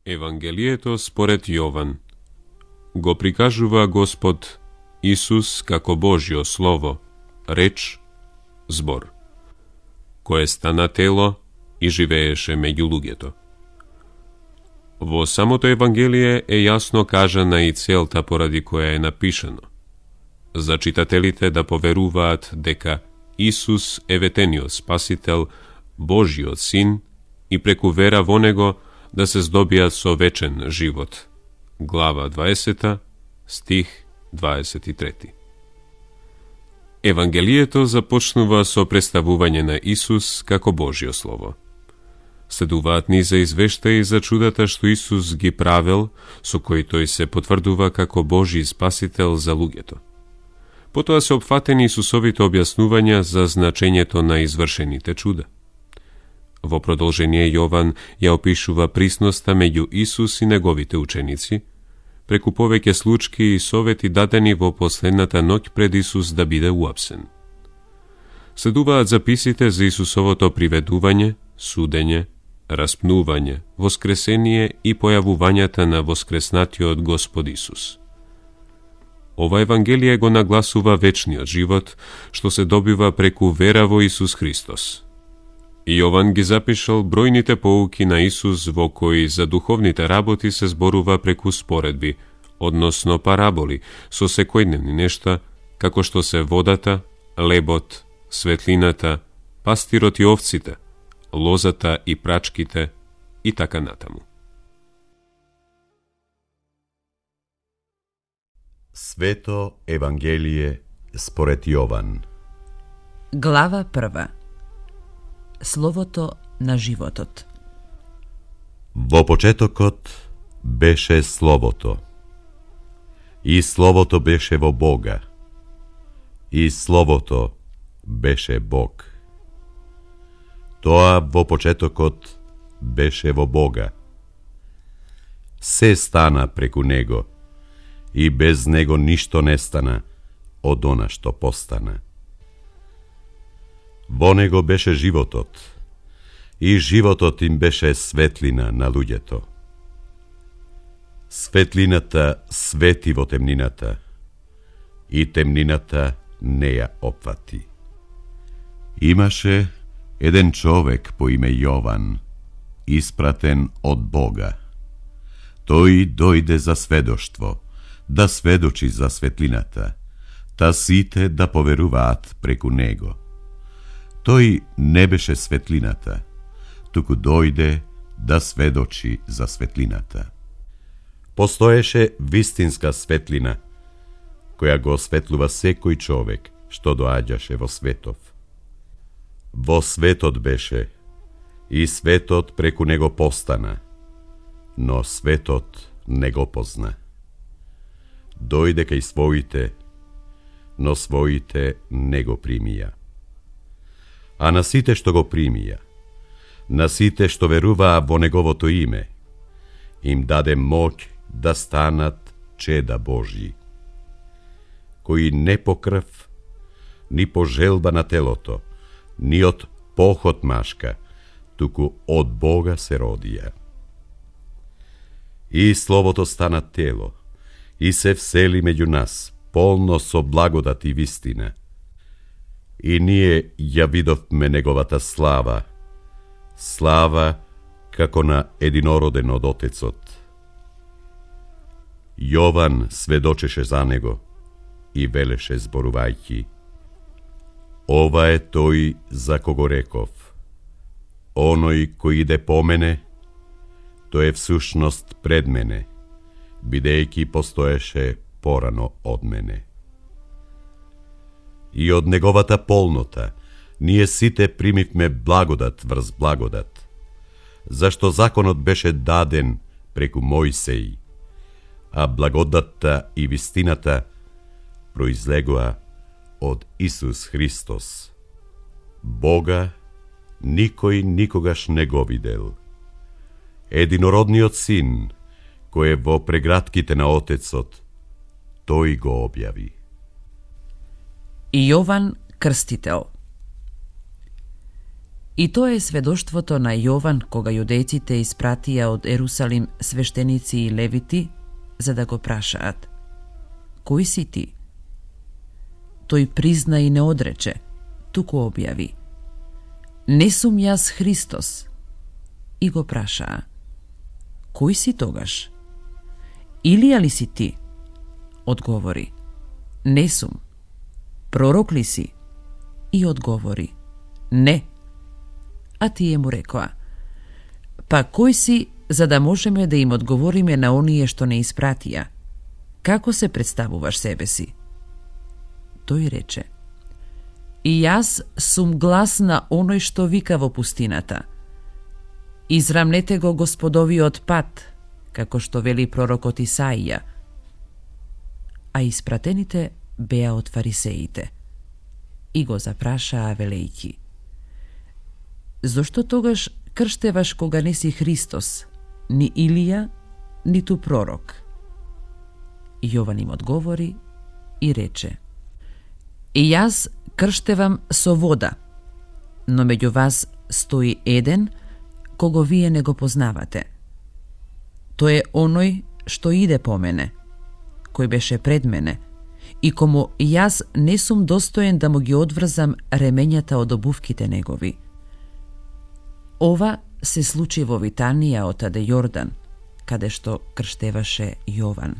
Евангелието според Јован го прикажува Господ Исус како Божјо Слово, реч, збор, кое стана тело и живееше меѓу луѓето. Во самото Евангелие е јасно кажана и целта поради која е напишано, за читателите да поверуваат дека Исус е ветениот Спасител, Божјиот Син, и преку вера во Него да се здобијат со вечен живот. Глава 20, стих 23. Евангелието започнува со представување на Исус како Божјо Слово. Следуваат низа извештаи за чудата што Исус ги правел, со кои тој се потврдува како Божји Спасител за луѓето. Потоа се опфатени Исусовите објаснувања за значењето на извршените чуда. Во продолжение Јован ја опишува присноста меѓу Исус и неговите ученици, преку повеќе случки и совети дадени во последната ноќ пред Исус да биде уапсен. Следуваат записите за Исусовото приведување, судење, распнување, воскресение и појавувањата на воскреснатиот Господ Исус. Ова Евангелие го нагласува вечниот живот, што се добива преку вера во Исус Христос. Јован ги запишал бројните поуки на Исус во кои за духовните работи се зборува преку споредби, односно параболи, со секојдневни нешта, како што се водата, лебот, светлината, пастирот и овците, лозата и прачките и така натаму. Свето Евангелие според Јован. Глава 1. Словото на животот. Во почетокот беше Словото, и Словото беше во Бога, и Словото беше Бог. Тоа во почетокот беше во Бога. Се стана преку Него, и без Него ништо не стана од она што постана. Во Него беше животот, и животот им беше светлина на луѓето. Светлината свети во темнината, и темнината не ја опфати. Имаше еден човек по име Јован, испратен од Бога. Тој дојде за сведоштво, да сведочи за светлината, та сите да поверуваат преку него. Тој не беше светлината, туку дојде да сведочи за светлината. Постоеше вистинска светлина, која го осветлува секој човек што доаѓаше во светов. Во светот беше, и светот преку него постана, но светот не го позна. Дојде кај своите, но своите не го примија. А на сите што го примија, на сите што веруваа во неговото име, им даде моќ да станат чеда Божји, кои не по крв, ни по желба на телото, ни од похот машка, туку од Бога се родија. И Словото стана тело, и се всели меѓу нас, полно со благодат и вистина. И ние ја видовме неговата слава, слава како на единороден од Отецот. Јован сведочеше за него и велеше зборувајќи: ова е тој за кого реков, оној кој иде по мене, тој е всушност пред мене, бидејќи постоеше порано од мене. И од неговата полнота ние сите примивме благодат врз благодат, зашто законот беше даден преку Мојсеј, а благодатта и вистината произлегоа од Исус Христос. Бога никој никогаш не го видел. Единородниот Син, кој е во прегратките на Отецот, тој го објави. Јован Крстител. И тоа е сведоштвото на Јован кога јудејците испратија од Ерусалим свештеници и левити за да го прашаат: Кој си ти? Тој призна и не одрече, туку објави: Не сум јас Христос. И го прашаа: Кој си тогаш? Илија ли си ти? Одговори: Не сум. Пророк ли си? И одговори: Не. А тие му рекоа: Па кој си, за да можеме да им одговориме на оние што не испратија? Како се представуваш себе си? Тој рече: И јас сум глас на оној што вика во пустината: Израмнете го Господовиот пат, како што вели пророкот Исаија. А испратените беа од фарисеите и го запрашаа велејќи: Зошто тогаш крштеваш кога не си Христос, ни Илија, ниту пророк? Јован им одговори и рече: И јас крштевам со вода, но меѓу вас стои еден кого вие не го познавате. Тој е оној што иде по мене, кој беше пред мене, и кому јас не сум достоен да му ги одврзам ремењата од обувките негови. Ова се случи во Витанија отаде Јордан, каде што крштеваше Јован.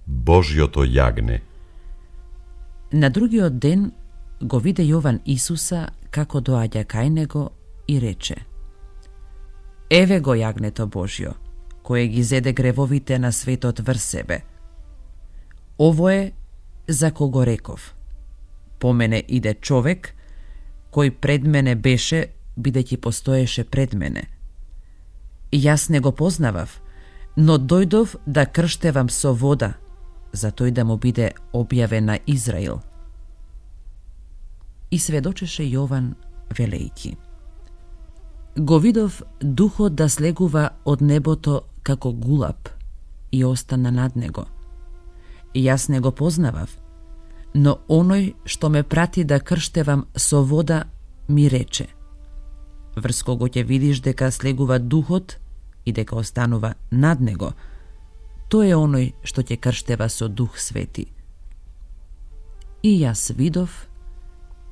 Божјото јагне. На другиот ден го виде Јован Исуса како доаѓа кај него и рече: Еве го јагнето Божјо, кое ги зеде гревовите на светот врз себе. Ово е за кого реков: По мене иде човек, кој пред мене беше, бидејќи постоеше пред мене. Јас не го познавав, но дојдов да крштевам со вода, за тој да му биде објавен на Израил. И сведочеше Јован велејќи: Го видов духот да слегува од небото како гулаб и остана над него. Јас не го познавав, но оној што ме прати да крштевам со вода ми рече: Врз кого ќе видиш дека слегува духот и дека останува над него, тој е оној што ќе крштева со Дух Свети. И јас видов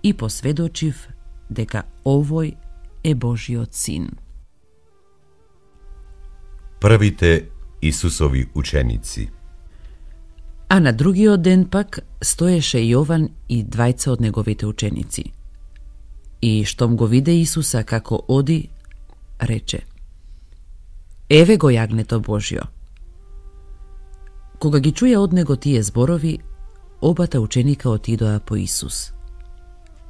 и посведочив дека овој е Божиот син. Првите Исусови ученици. А на другиот ден пак стоеше Јован и двајца од неговите ученици. И штом го виде Исуса како оди, рече: Еве го јагнето Божјо. Кога ги чуја од него тие зборови, обата ученика отидоа по Исус.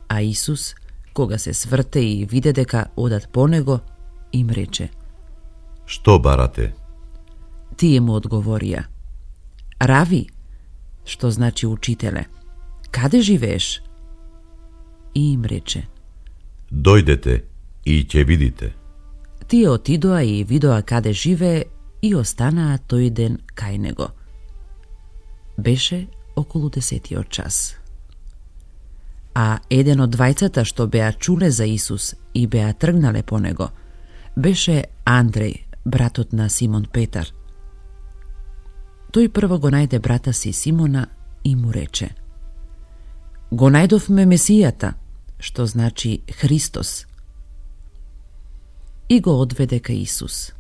А Исус, кога се сврте и виде дека одат по него, им рече: Што барате? Тие му одговорија: Рави, што значи учителе, каде живееш? И им рече: Дојдете и ќе видите. Тие отидоа и видоа каде живее и останаа тој ден кај него. Беше околу 10-тиот час. А еден од двајцата што беа чуле за Исус и беа тргнале по него, беше Андреј, братот на Симон Петар. Тој прво го најде брата си Симона и му рече: Го најдовме Месијата, што значи Христос. И го одведе кај Исус.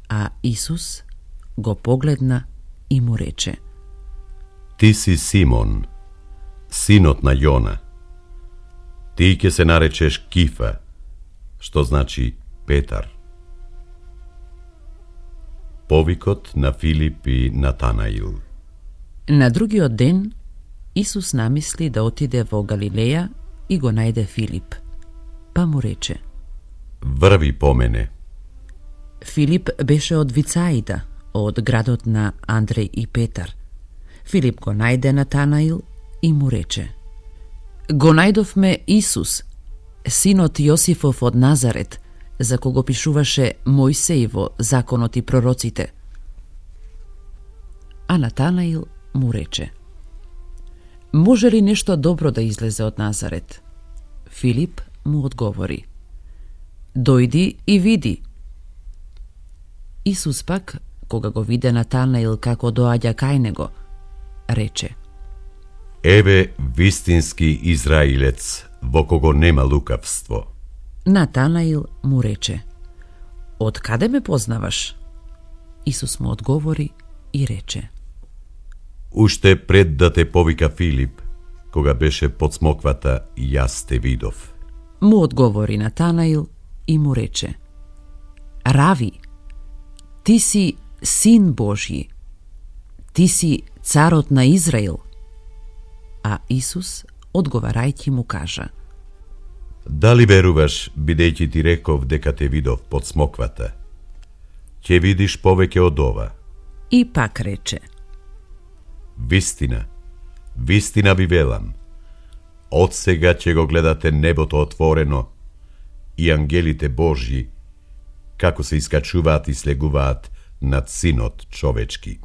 А Исус го погледна и му рече: Ти си Симон, синот на Јона. Ти ќе се наречеш Кифа, што значи Петар. Повикот на Филип и Натанаил. На другиот ден Исус намисли да отиде во Галилеја и го најде Филип, па му рече: Врви по мене. Филип беше од Вицаида, од градот на Андреј и Петар. Филип го најде Натанаил и му рече: Го најдовме Исус, синот Јосифов од Назарет, за кого пишуваше Мојсеј во законот и пророците. А Натанаил му рече: Може ли нешто добро да излезе од Назарет? Филип му одговори: Дојди и види. Исус пак, кога го виде Натанаил како доаѓа кај него, рече: Еве вистински израилец, во кого нема лукавство. Натанаил му рече: Од каде ме познаваш? Исус му одговори и рече: Уште пред да те повика Филип, кога беше под смоквата, јас те видов. Му одговори Натанаил и му рече: Рави, ти си син Божји, ти си царот на Израил. А Исус, одговарајќи му кажа: Дали веруваш, бидејќи ти реков дека те видов под смоквата? Ќе видиш повеќе од ова. И пак рече: Вистина, вистина ви велам, од сега ќе го гледате небото отворено и ангелите Божји, како се искачуваат и слегуваат над Синот човечки.